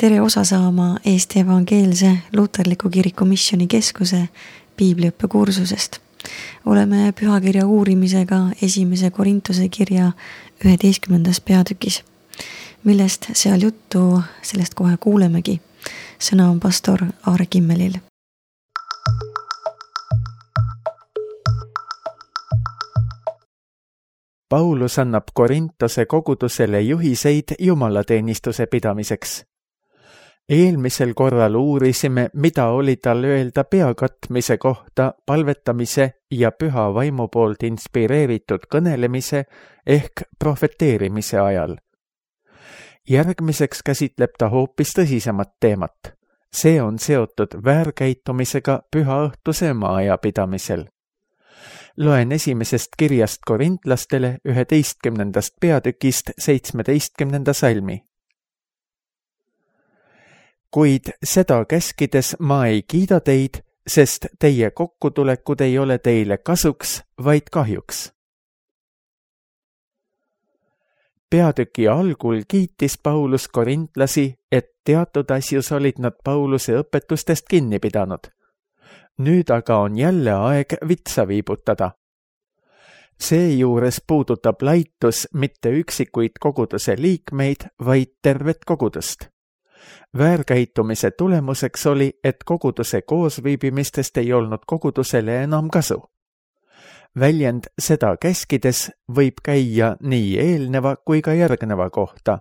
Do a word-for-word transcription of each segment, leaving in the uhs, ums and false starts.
tere osa saama Eesti Evangeelse Luterliku Kiriku Missioni Keskuse piibliõppekursusest. Oleme pühakirja uurimisega esimese Korintuse kirja üheteistkümnendas peatükis, millest seal juttu, sellest kohe kuulemegi. Sõna on pastor Aare Kimmelil. Paulus annab Korintose kogudusele juhiseid jumalateenistuse pidamiseks. Eelmisel korral uurisime, mida oli tal öelda peakatmise kohta palvetamise ja püha vaimu poolt inspireeritud kõnelemise ehk profeteerimise ajal. Järgmiseks käsitleb ta hoopis tõsisemat teemat. See on seotud väärkäitumisega püha õhtuse maaja pidamisel. Loen esimesest kirjast korintlastele üheteistkümnendast peatükist seitsmeteistkümnenda salmi. Kuid seda käskides ma ei kiida teid, sest teie kokkutulekud ei ole teile kasuks, vaid kahjuks. Peatüki algul kiitis Paulus korintlasi, et teatud asjus olid nad Pauluse õpetustest kinni pidanud. Nüüd aga on jälle aeg vitsa viibutada. Seejuures puudutab laitus mitte üksikuid koguduse liikmeid, vaid tervet kogudust. Väärkäitumise tulemuseks oli, et koguduse koosviibimistest ei olnud kogudusele enam kasu. Väljend seda käskides võib käia nii eelneva kui ka järgneva kohta.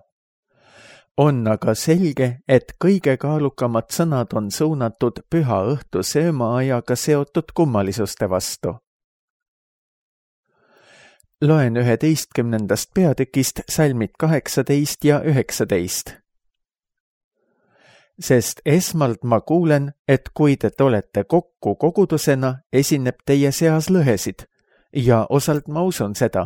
On aga selge, et kõige kaalukamad sõnad on suunatud püha õhtu söömaajaga seotud kummalisuste vastu. Loen üheteistkümnendast peatükist salmid kaheksateist ja üheksateist. Sest esmalt ma kuulen, et kui te olete kokku kogudusena, esineb teie seas lõhesid, ja osalt ma usun seda.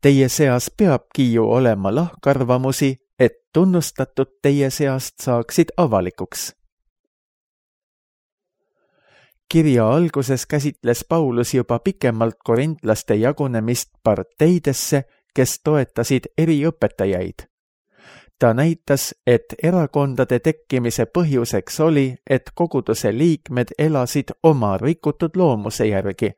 Teie seas peabki ju olema lahkarvamusi, et tunnustatud teie seast saaksid avalikuks. Kirja alguses käsitles Paulus juba pikemalt korintlaste jagunemist parteidesse, kes toetasid eri õpetajaid. Ta näitas, et erakondade tekkimise põhjuseks oli, et koguduse liikmed elasid oma rikutud loomuse järgi.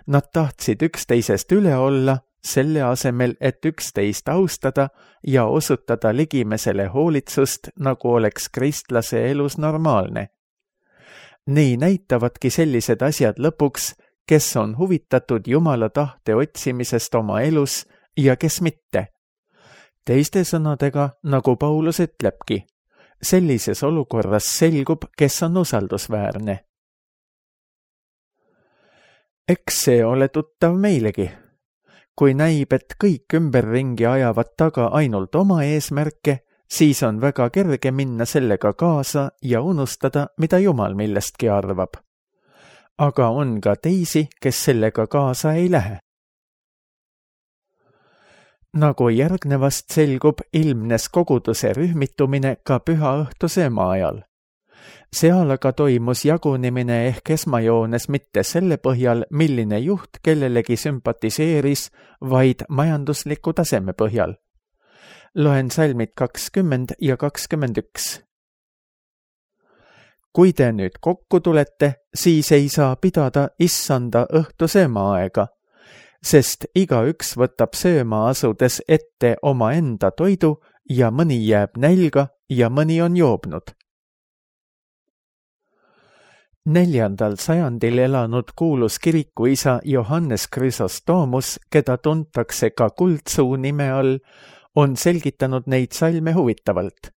Nad tahtsid üksteisest üle olla, selle asemel, et üksteist austada ja osutada ligimesele hoolitsust, nagu oleks kristlase elus normaalne. Nii näitavadki sellised asjad lõpuks, kes on huvitatud Jumala tahte otsimisest oma elus ja kes mitte. Teiste sõnadega, nagu Paulus ütlebki, sellises olukorras selgub, kes on usaldusväärne. Eks see ole tuttav meilegi. Kui näib, et kõik ümberringi ajavad taga ainult oma eesmärke, siis on väga kerge minna sellega kaasa ja unustada, mida Jumal millestki arvab. Aga on ka teisi, kes sellega kaasa ei lähe. Nagu järgnevast selgub, ilmnes koguduse rühmitumine ka püha õhtu sööma ajal. Seal aga toimus jagunemine ehk esmajoones mitte selle põhjal, milline juht kellelegi sümpatiseeris, vaid majandusliku taseme põhjal. Loen salmid kakskümmend ja kakskümmend üks. Kui te nüüd kokku tulete, siis ei saa pidada issanda õhtu söömaaega, sest igaüks võtab sööma asudes ette oma enda toidu ja mõni jääb nälga ja mõni on joobnud. Neljandal sajandil elanud kuulus kirikuisa Johannes Chrysostomos, keda tuntakse ka kuldsuu nime all, on selgitanud neid salme huvitavalt.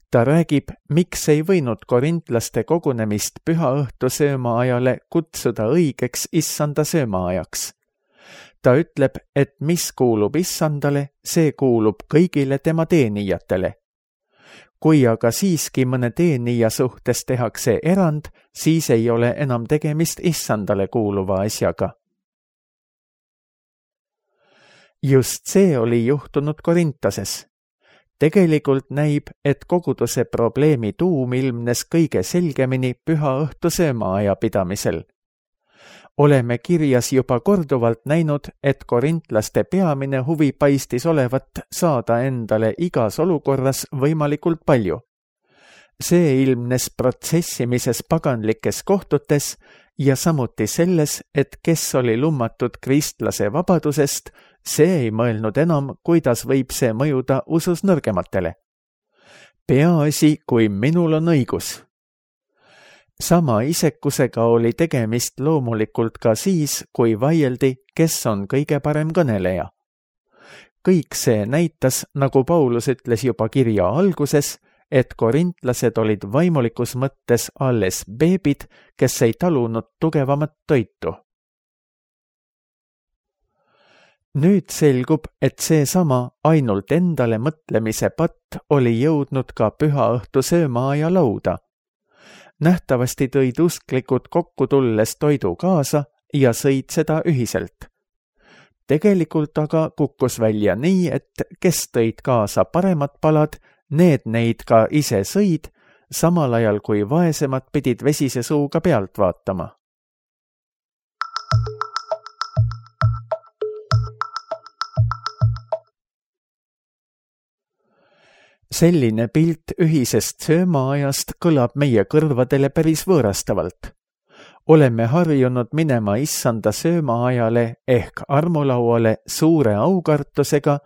Ta räägib, miks ei võinud korintlaste kogunemist püha õhtu sööma ajale kutsuda õigeks issanda söömaajaks. Ta ütleb, et mis kuulub issandale, see kuulub kõigile tema teenijatele. Kui aga siiski mõne teenija suhtes tehakse erand, siis ei ole enam tegemist issandale kuuluva asjaga. Just see oli juhtunud Korintoses. Tegelikult näib, et koguduse probleemi tuum ilmnes kõige selgemini püha õhtu söömaaja pidamisel. Oleme kirjas juba korduvalt näinud, et korintlaste peamine huvi paistis olevat saada endale igas olukorras võimalikult palju. See ilmnes protsessimises paganlikes kohtutes ja samuti selles, et kes oli lummatud kristlase vabadusest, see ei mõelnud enam, kuidas võib see mõjuda usus nõrgematele. Peaasi, kui minul on õigus. Sama isekusega oli tegemist loomulikult ka siis, kui vaieldi, kes on kõige parem kõneleja. Kõik see näitas, nagu Paulus ütles juba kirja alguses, et korintlased olid vaimulikus mõttes alles beebid, kes ei talunud tugevamat toitu. Nüüd selgub, et seesama ainult endale mõtlemise patt oli jõudnud ka pühaõhtu söömaaja lauda. Nähtavasti tõid usklikud kokku tulles toidu kaasa ja sõid seda ühiselt. Tegelikult aga kukkus välja nii, et kes tõid kaasa paremad palad, need neid ka ise sõid, samal ajal kui vaesemad pidid vesise suuga pealt vaatama. Selline pilt ühisest söömaajast kõlab meie kõrvadele päris võõrastavalt. Oleme harjunud minema issanda söömaajale ehk armulauale suure aukartusega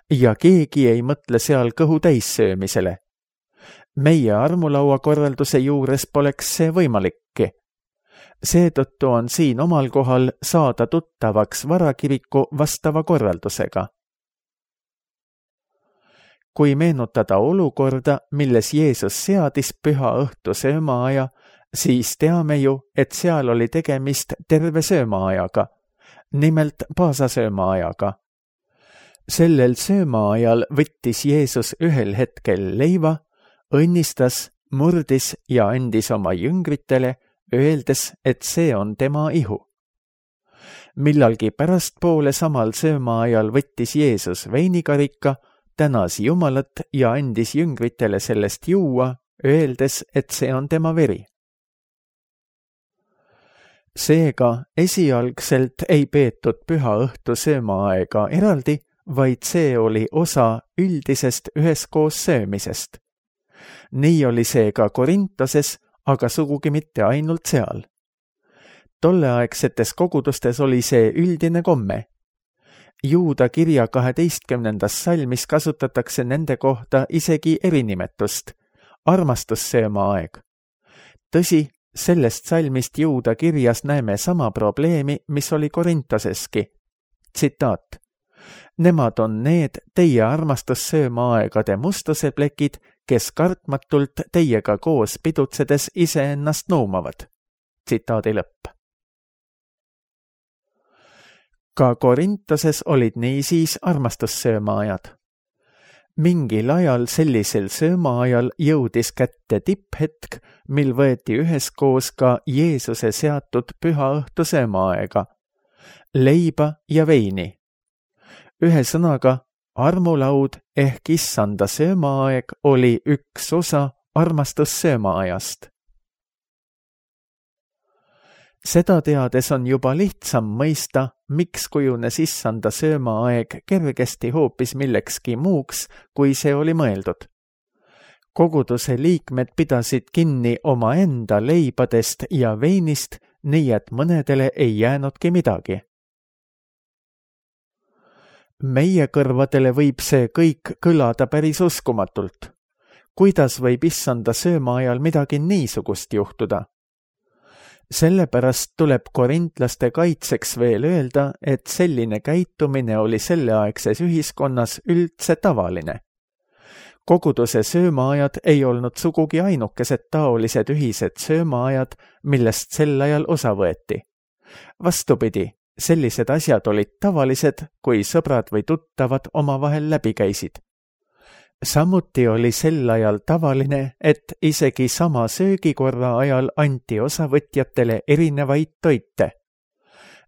ja keegi ei mõtle seal kõhu täissöömisele. Meie armulaua korralduse juures poleks see võimalikki. Seetõttu on siin omal kohal saada tuttavaks varakiriku vastava korraldusega. Kui meenutada olukorda, milles Jeesus seadis püha õhtu söömaaja, siis teame ju, et seal oli tegemist terve söömaajaga, nimelt paasasöömaajaga. Sellel söömaajal võttis Jeesus ühel hetkel leiva, õnnistas, murdis ja andis oma jüngritele, öeldes, et see on tema ihu. Millalgi pärastpoole samal söömaajal võttis Jeesus veinikarika, tänas Jumalat ja andis jüngritele sellest juua, öeldes, et see on tema veri. Seega esialgselt ei peetud püha õhtu söömaaega eraldi, vaid see oli osa üldisest üheskoos söömisest. Nii oli see ka Korintoses, aga sugugi mitte ainult seal. Tolleaegsetes kogudustes oli see üldine komme. Juuda kirja kaheteistkümnendas salmis kasutatakse nende kohta isegi erinimetust, armastussöömaaeg. Tõsi, sellest salmist Juuda kirjas näeme sama probleemi, mis oli Korintoseski. Tsitaat. Nemad on need teie armastussöömaaegade mustuseplekid, kes kartmatult teiega koos pidutsedes iseennast nuumavad. Tsitaadi lõpp. Ka Korintoses olid niisiis armastussöömaajad. Mingil ajal sellisel söömaajal jõudis kätte tipphetk, mil võeti üheskoos ka Jeesuse seatud püha õhtu söömaaega, leiba ja veini. Ühe sõnaga, armulaud ehk issanda söömaaeg oli üks osa armastussöömaajast. Seda teades on juba lihtsam mõista, miks kujunes issanda söömaaeg kergesti hoopis millekski muuks, kui see oli mõeldud. Koguduse liikmed pidasid kinni omaenda leibadest ja veinist, nii et mõnedele ei jäänudki midagi. Meie kõrvadele võib see kõik kõlada päris uskumatult. Kuidas võib issanda söömaajal midagi niisugust juhtuda? Sellepärast tuleb korintlaste kaitseks veel öelda, et selline käitumine oli selleaegses ühiskonnas üldse tavaline. Koguduse söömaajad ei olnud sugugi ainukesed taolised ühised söömaajad, millest sel ajal osa võeti. Vastupidi, sellised asjad olid tavalised, kui sõbrad või tuttavad omavahel läbi käisid. Samuti oli sel ajal tavaline, et isegi sama söögikorra ajal anti osavõtjatele erinevaid toite.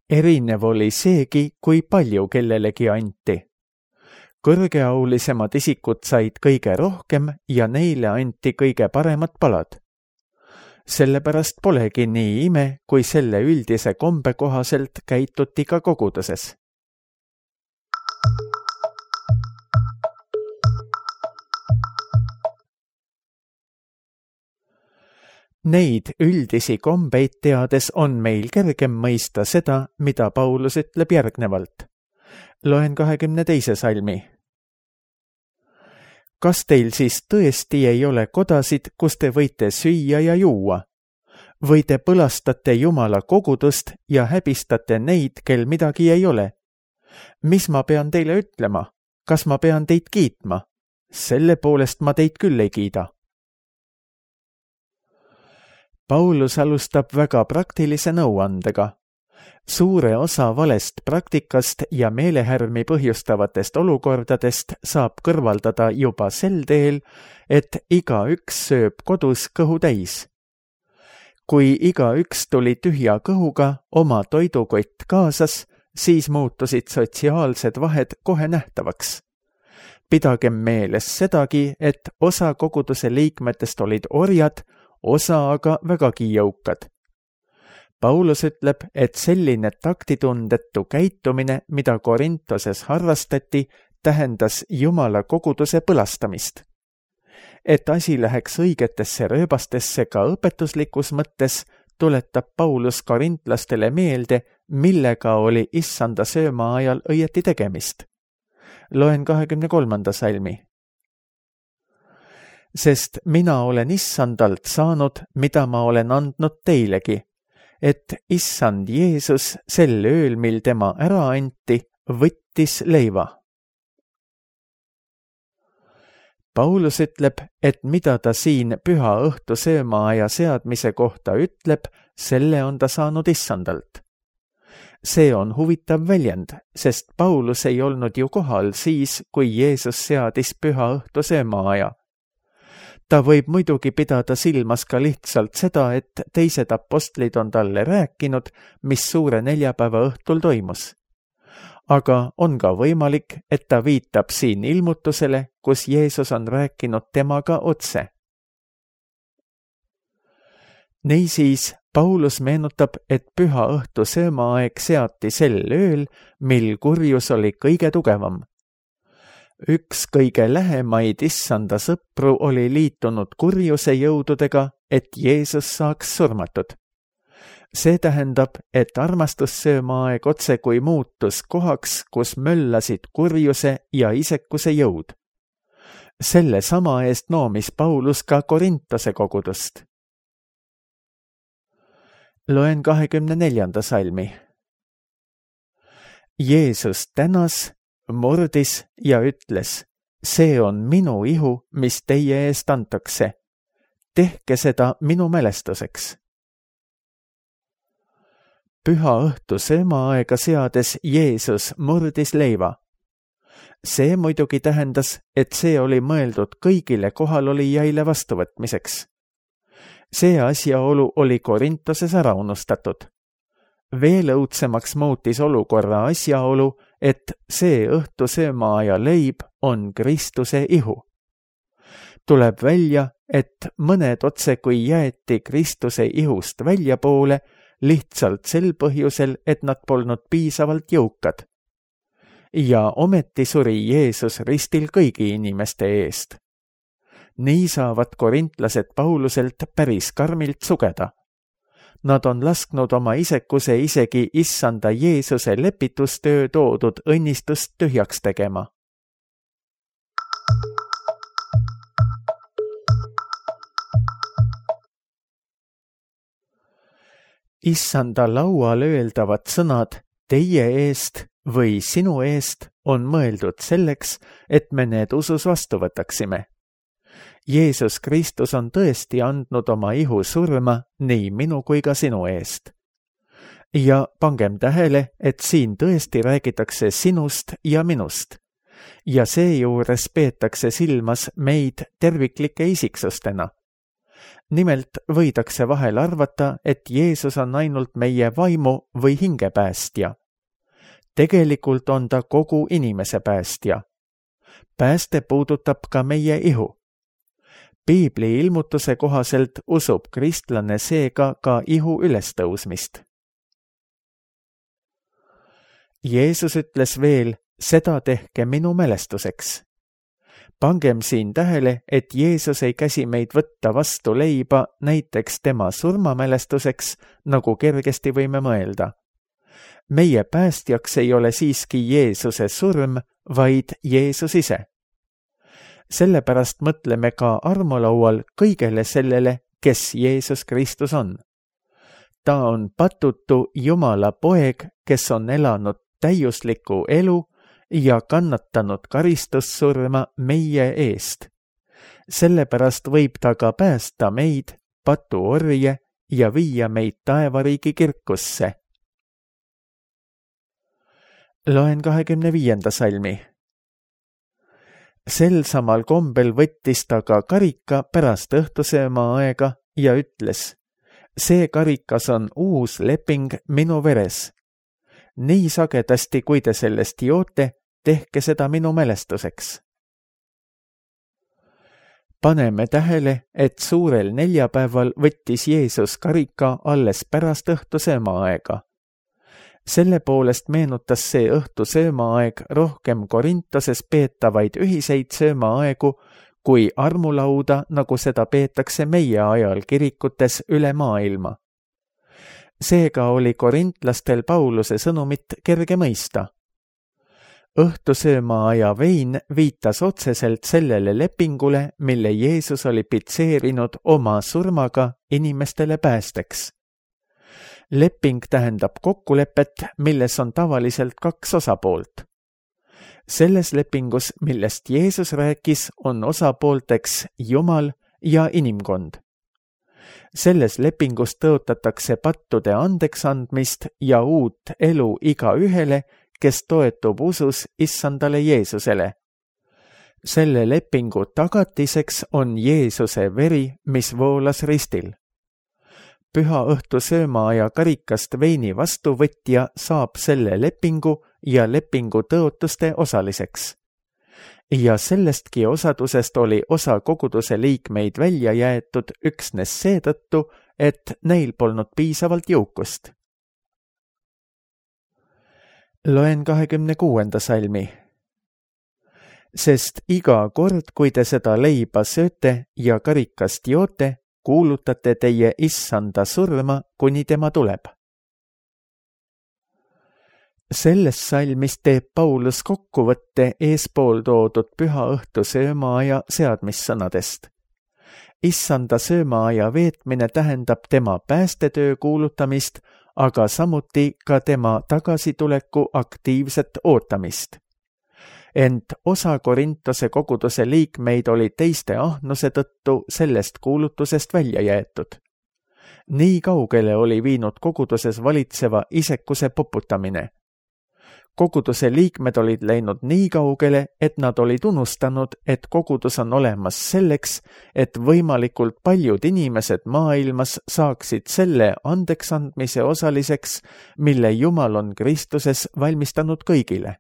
Erinev oli seegi, kui palju kellelegi anti. Kõrgeaulisemad isikud said kõige rohkem ja neile anti kõige paremad palad. Sellepärast polegi nii ime, kui selle üldise kombe kohaselt käituti ka koguduses. Neid üldisi kombeid teades on meil kergem mõista seda, mida Paulus ütleb järgnevalt. Loen kahekümne teise salmi. Kas teil siis tõesti ei ole kodasid, kus te võite süüa ja juua? Või te põlastate Jumala kogudust ja häbistate neid, kel midagi ei ole? Mis ma pean teile ütlema? Kas ma pean teid kiitma? Selle poolest ma teid küll ei kiida. Paulus alustab väga praktilise nõuandega. Suure osa valest praktikast ja meelehärmi põhjustavatest olukordadest saab kõrvaldada juba sel teel, et igaüks sööb kodus kõhu täis. Kui igaüks tuli tühja kõhuga oma toidukott kaasas, siis muutusid sotsiaalsed vahed kohe nähtavaks. Pidagem meeles sedagi, et osa koguduse liikmetest olid orjad, osa aga vägagi jõukad. Paulus ütleb, et selline taktitundetu käitumine, mida Korintoses harrastati, tähendas Jumala koguduse põlastamist. Et asi läheks õigetesse rööbastesse ka õpetuslikus mõttes, tuletab Paulus korintlastele meelde, millega oli issanda sööma ajal õieti tegemist. Loen kahekümne kolmanda salmi. Sest mina olen issandalt saanud, mida ma olen andnud teilegi, et issand Jeesus sel ööl, mil tema ära anti, võttis leiva. Paulus ütleb, et mida ta siin püha õhtu söömaaja seadmise kohta ütleb, selle on ta saanud issandalt. See on huvitav väljend, sest Paulus ei olnud ju kohal siis, kui Jeesus seadis püha õhtu söömaaja. Ta võib muidugi pidada silmas ka lihtsalt seda, et teised apostlid on talle rääkinud, mis suure neljapäeva õhtul toimus. Aga on ka võimalik, et ta viitab siin ilmutusele, kus Jeesus on rääkinud temaga otse. Niisiis, Paulus meenutab, et püha õhtu söömaaeg seati sel ööl, mil kurjus oli kõige tugevam. Üks kõige lähemaid issanda sõpru oli liitunud kurjuse jõududega, et Jeesus saaks surmatud. See tähendab, et armastussöömaaeg otse kui muutus kohaks, kus möllasid kurjuse ja isekuse jõud. Selle sama eest noomis Paulus ka Korintose kogudust. Loen kahekümne neljanda salmi. Jeesus tänas, murdis ja ütles, see on minu ihu, mis teie eest antakse. Tehke seda minu mälestuseks. Püha õhtu söömaaega seades Jeesus murdis leiva. See muidugi tähendas, et see oli mõeldud kõigile kohalolijaile vastuvõtmiseks. See asjaolu oli Korintoses ära unustatud. Veel õudsemaks muutis olukorra asjaolu, et see õhtu söömaaja leib on Kristuse ihu. Tuleb välja, et mõned otse kui jäeti Kristuse ihust väljapoole, lihtsalt sel põhjusel, et nad polnud piisavalt jõukad. Ja ometi suri Jeesus ristil kõigi inimeste eest. Nii saavad korintlased Pauluselt päris karmilt sugeda. Nad on lasknud oma isekuse isegi issanda Jeesuse lepitustöö toodud õnnistust tühjaks tegema. Issanda laual öeldavad sõnad teie eest või sinu eest on mõeldud selleks, et me need usus vastu võtaksime. Jeesus Kristus on tõesti andnud oma ihu surma nii minu kui ka sinu eest. Ja pangem tähele, et siin tõesti räägitakse sinust ja minust. Ja seejuures peetakse silmas meid terviklike isiksustena. Nimelt võidakse vahel arvata, et Jeesus on ainult meie vaimu või hingepäästja. Tegelikult on ta kogu inimese päästja. Pääste puudutab ka meie ihu. Piibli ilmutuse kohaselt usub kristlane seega ka ihu ülestõusmist. Jeesus ütles veel, seda tehke minu mälestuseks. Pangem siin tähele, et Jeesus ei käsi meid võtta vastu leiba näiteks tema surmamälestuseks, nagu kergesti võime mõelda. Meie päästjaks ei ole siiski Jeesuse surm, vaid Jeesus ise. Sellepärast mõtleme ka armulaual kõigele sellele, kes Jeesus Kristus on. Ta on patutu Jumala poeg, kes on elanud täiusliku elu ja kannatanud karistussurma meie eest. Sellepärast võib ta ka päästa meid, patuorje, ja viia meid taevariigi kirkusse. Loen kahekümne viienda salmi. Sel samal kombel võttis ta ka karika pärast õhtusööma aega ja ütles, see karikas on uus leping minu veres. Nii sagedasti, kui te sellest joote, tehke seda minu mälestuseks. Paneme tähele, et suurel neljapäeval võttis Jeesus karika alles pärast õhtusööma aega. Selle poolest meenutas see õhtusöömaaeg rohkem Korintoses peetavaid ühiseid söömaaegu kui armulauda, nagu seda peetakse meie ajal kirikutes üle maailma. Seega oli korintlastel Pauluse sõnumit kerge mõista. Õhtusöömaaja vein viitas otseselt sellele lepingule, mille Jeesus oli pitseerinud oma surmaga inimestele päästeks. Leping tähendab kokkulepet, milles on tavaliselt kaks osapoolt. Selles lepingus, millest Jeesus rääkis, on osapoolteks Jumal ja inimkond. Selles lepingus tõotatakse pattude andeks andmist ja uut elu igaühele, kes toetub usus issandale Jeesusele. Selle lepingu tagatiseks on Jeesuse veri, mis voolas ristil. Püha õhtu söömaaja karikast veini vastuvõtja saab selle lepingu ja lepingu tõotuste osaliseks. Ja sellestki osadusest oli osa koguduse liikmeid välja jäetud üksnes seetõttu, et neil polnud piisavalt jõukust. Loen kahekümne kuuenda salmi. Sest iga kord, kui te seda leiba sööte ja karikast joote, kuulutate teie issanda surma, kuni tema tuleb. Selles salmis teeb Paulus kokkuvõtte eespool toodud püha õhtu söömaaja seadmissõnadest. Issanda söömaaja veetmine tähendab tema päästetöö kuulutamist, aga samuti ka tema tagasituleku aktiivset ootamist. Ent osa Korintose koguduse liikmeid oli teiste ahnuse tõttu sellest kuulutusest välja jäetud. Nii kaugele oli viinud koguduses valitseva isekuse poputamine. Koguduse liikmed olid läinud nii kaugele, et nad olid unustanud, et kogudus on olemas selleks, et võimalikult paljud inimesed maailmas saaksid selle andeksandmise osaliseks, mille Jumal on Kristuses valmistanud kõigile.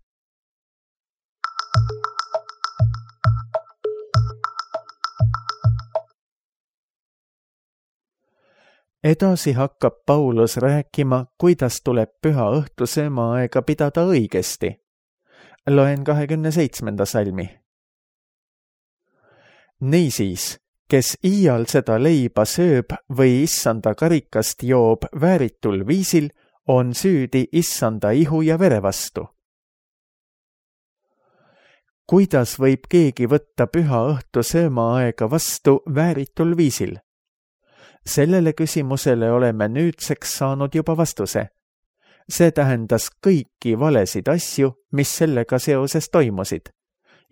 Edasi hakkab Paulus rääkima, kuidas tuleb püha õhtu söömaaega pidada õigesti. Loen kahekümne seitsmenda salmi. Niisiis, kes iial seda leiba sööb või issanda karikast joob vääritul viisil, on süüdi issanda ihu ja vere vastu. Kuidas võib keegi võtta püha õhtu söömaaega vastu vääritul viisil? Sellele küsimusele oleme nüüdseks saanud juba vastuse. See tähendas kõiki valesid asju, mis sellega seoses toimusid.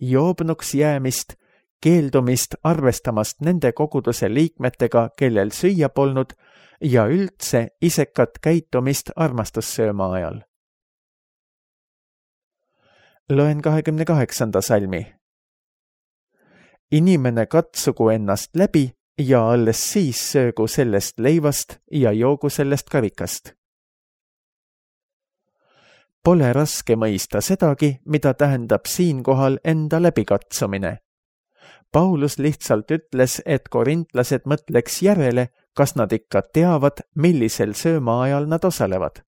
Joobnuks jäämist, keeldumist arvestamast nende koguduse liikmetega, kellel süüa polnud, ja üldse isekat käitumist armastussööma ajal. Loen kahekümne kaheksanda salmi. Inimene katsugu ennast läbi, ja alles siis söögu sellest leivast ja joogu sellest karikast. Pole raske mõista sedagi, mida tähendab siinkohal enda läbikatsumine. Paulus lihtsalt ütles, et korintlased mõtleks järele, kas nad ikka teavad, millisel sööma ajal nad osalevad.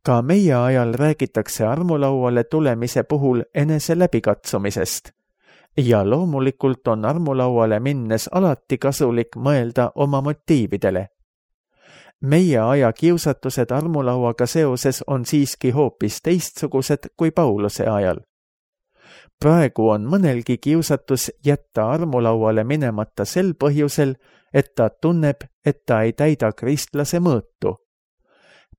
Ka meie ajal räägitakse armulauale tulemise puhul enese läbikatsumisest ja loomulikult on armulauale minnes alati kasulik mõelda oma motiividele. Meie aja kiusatused armulauaga seoses on siiski hoopis teistsugused kui Pauluse ajal. Praegu on mõnelgi kiusatus jätta armulauale minemata sel põhjusel, et ta tunneb, et ta ei täida kristlase mõõtu.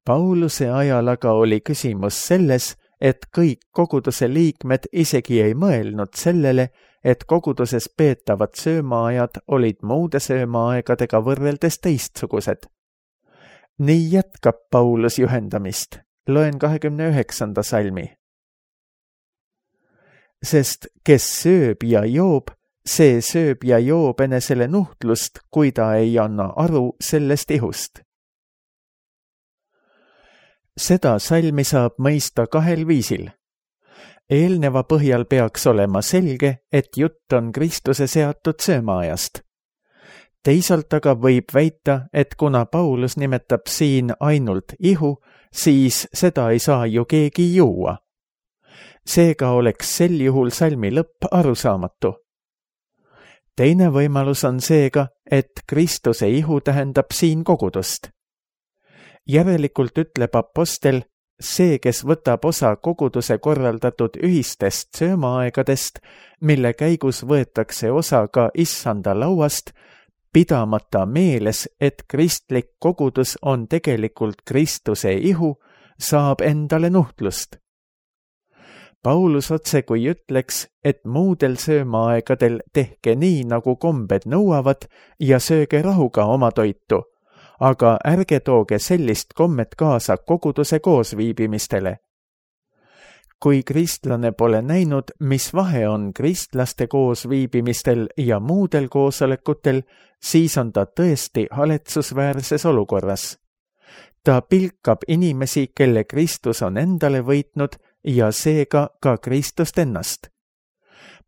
Pauluse ajal aga oli küsimus selles, et kõik koguduse liikmed isegi ei mõelnud sellele, et koguduses peetavad söömaajad olid muude söömaaegadega võrreldes teistsugused. Nii jätkab Paulus juhendamist. Loen kahekümne üheksanda salmi. Sest kes sööb ja joob, see sööb ja joob enesele nuhtlust, kui ta ei anna aru sellest ihust. Seda salmi saab mõista kahel viisil. Eelneva põhjal peaks olema selge, et jutt on Kristuse seatud söömaajast. Teisalt aga võib väita, et kuna Paulus nimetab siin ainult ihu, siis seda ei saa ju keegi juua. Seega oleks sel juhul salmi lõpp arusaamatu. Teine võimalus on seega, et Kristuse ihu tähendab siin kogudust. Järelikult ütleb apostel, see, kes võtab osa koguduse korraldatud ühistest söömaaegadest, mille käigus võetakse osa ka issanda lauast, pidamata meeles, et kristlik kogudus on tegelikult Kristuse ihu, saab endale nuhtlust. Paulus otse kui ütleks, et muudel söömaaegadel tehke nii, nagu kombed nõuavad ja sööge rahuga oma toitu, aga ärge tooge sellist kommet kaasa koguduse koosviibimistele. Kui kristlane pole näinud, mis vahe on kristlaste koosviibimistel ja muudel koosolekutel, siis on ta tõesti haletsusväärses olukorras. Ta pilkab inimesi, kelle Kristus on endale võitnud ja seega ka Kristust ennast.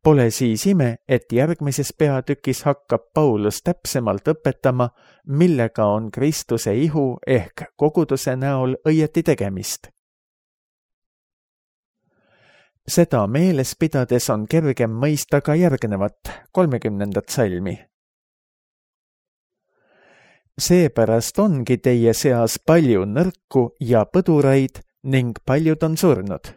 Pole siis ime, et järgmises peatükis hakkab Paulus täpsemalt õpetama, millega on Kristuse ihu ehk koguduse näol õieti tegemist. Seda meeles pidades on kergem mõista ka järgnevat, kolmekümnendat salmi. Seepärast ongi teie seas palju nõrku ja põduraid ning paljud on surnud.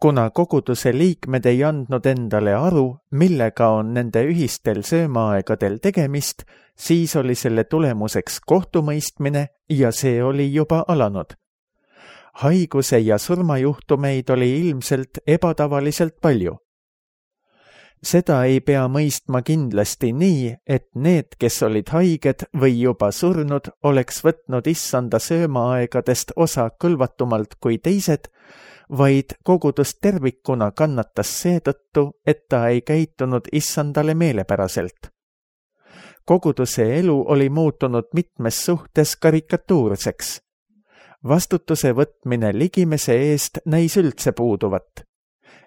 Kuna koguduse liikmed ei andnud endale aru, millega on nende ühistel söömaaegadel tegemist, siis oli selle tulemuseks kohtumõistmine ja see oli juba alanud. Haiguse ja surmajuhtumeid oli ilmselt ebatavaliselt palju. Seda ei pea mõistma kindlasti nii, et need, kes olid haiged või juba surnud, oleks võtnud issanda söömaaegadest osa kõlvatumalt kui teised, vaid kogudus tervikuna kannatas seetõttu, et ta ei käitunud issandale meelepäraselt. Koguduse elu oli muutunud mitmes suhtes karikatuurseks. Vastutuse võtmine ligimese eest näis üldse puuduvat.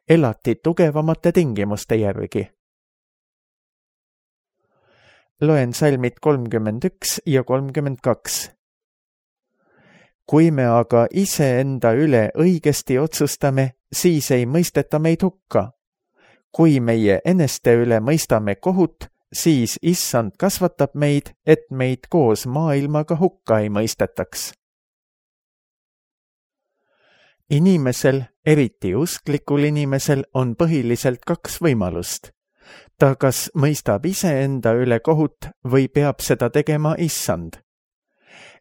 Elati tugevamate tingimuste järgi. Loen salmid kolmkümmend üks ja kolmkümmend kaks. Kui me aga ise enda üle õigesti otsustame, siis ei mõisteta meid hukka. Kui meie eneste üle mõistame kohut, siis issand kasvatab meid, et meid koos maailmaga hukka ei mõistetaks. Inimesel, eriti usklikul inimesel, on põhiliselt kaks võimalust. Ta kas mõistab ise enda üle kohut või peab seda tegema issand.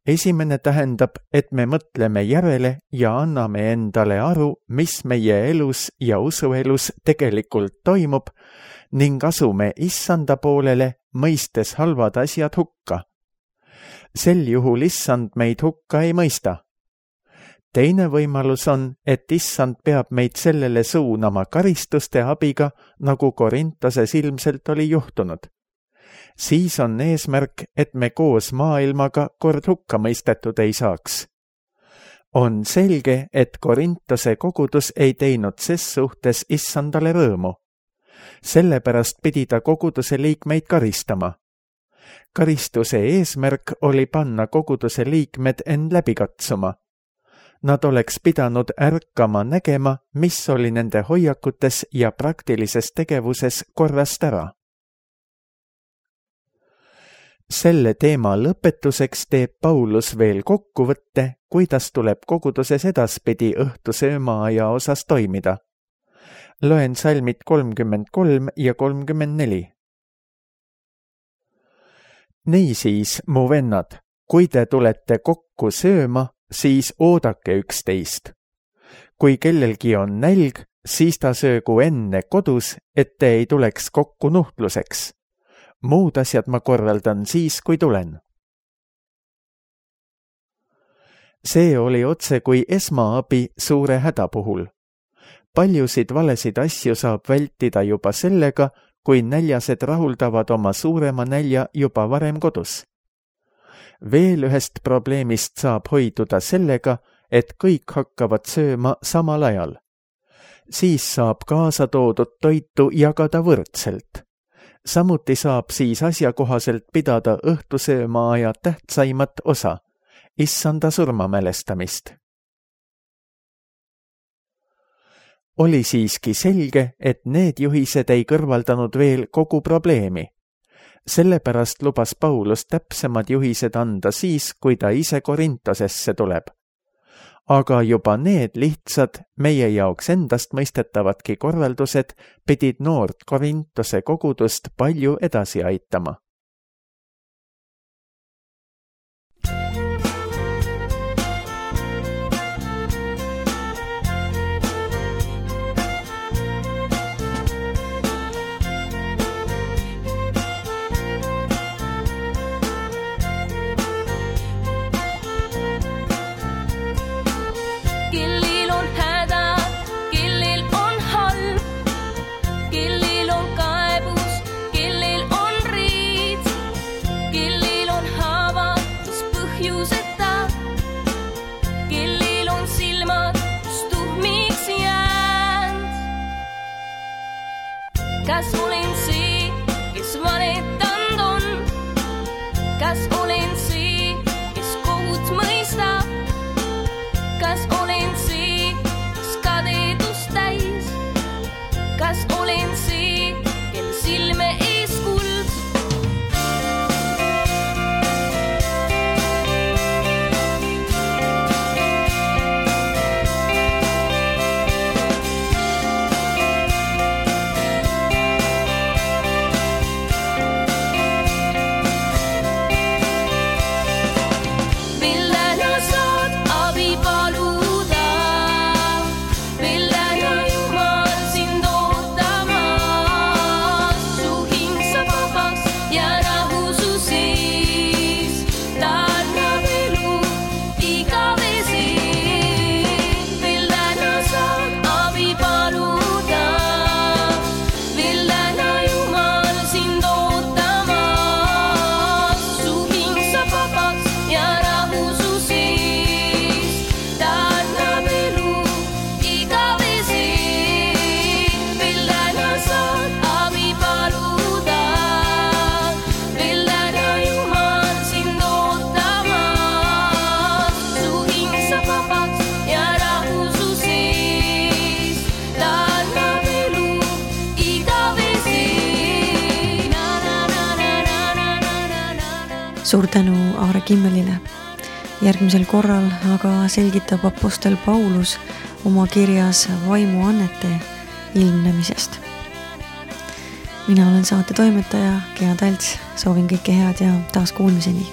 Esimene tähendab, et me mõtleme järele ja anname endale aru, mis meie elus ja usuelus tegelikult toimub ning asume issanda poolele, mõistes halvad asjad hukka. Sel juhul issand meid hukka ei mõista. Teine võimalus on, et issand peab meid sellele suunama karistuste abiga, nagu Korintoses ilmselt oli juhtunud. Siis on eesmärk, et me koos maailmaga kord hukka mõistetud ei saaks. On selge, et Korintose kogudus ei teinud ses suhtes issandale rõõmu. Sellepärast pidi ta koguduse liikmeid karistama. karistuse eesmärk oli panna koguduse liikmed end läbi katsuma. Nad oleks pidanud ärkama nägema, mis oli nende hoiakutes ja praktilises tegevuses korrast ära. Selle teema lõpetuseks teeb Paulus veel kokkuvõtte, kuidas tuleb koguduses edaspidi õhtusöömaaja osas toimida. Loen salmid kolmkümmend kolm ja kolmkümmend neli. Niisiis, mu vennad, kui te tulete kokku sööma, siis oodake üksteist. Kui kellelgi on nälg, siis ta söögu enne kodus, et te ei tuleks kokku nuhtluseks. Muud asjad ma korraldan siis, kui tulen. See oli otse kui esmaabi suure häda puhul. Paljusid valesid asju saab vältida juba sellega, kui näljased rahuldavad oma suurema nälja juba varem kodus. Veel ühest probleemist saab hoiduda sellega, et kõik hakkavad sööma samal ajal. Siis saab kaasa toodud toitu jagada võrdselt. Samuti saab siis asjakohaselt pidada õhtusöömaaja tähtsaimat osa, issanda surmamälestamist. Oli siiski selge, et need juhised ei kõrvaldanud veel kogu probleemi. Sellepärast lubas Paulus täpsemad juhised anda siis, kui ta ise Korintosesse tuleb. Aga juba need lihtsad, meie jaoks endast mõistetavadki korraldused pidid noort Korintose kogudust palju edasi aitama. Kas olen see, kes valetanud on? Kas olen see, kes kohut mõistab? Kas olen see, kes kadedust täis? Kas olen see, kel silme ees kuld? Suur tänu Aare Kimmelile. Järgmisel korral aga selgitab apostel Paulus oma kirjas vaimuannete ilmnemisest. Mina olen saate toimetaja Gea Talts, soovin kõike head ja taas kuulmiseni.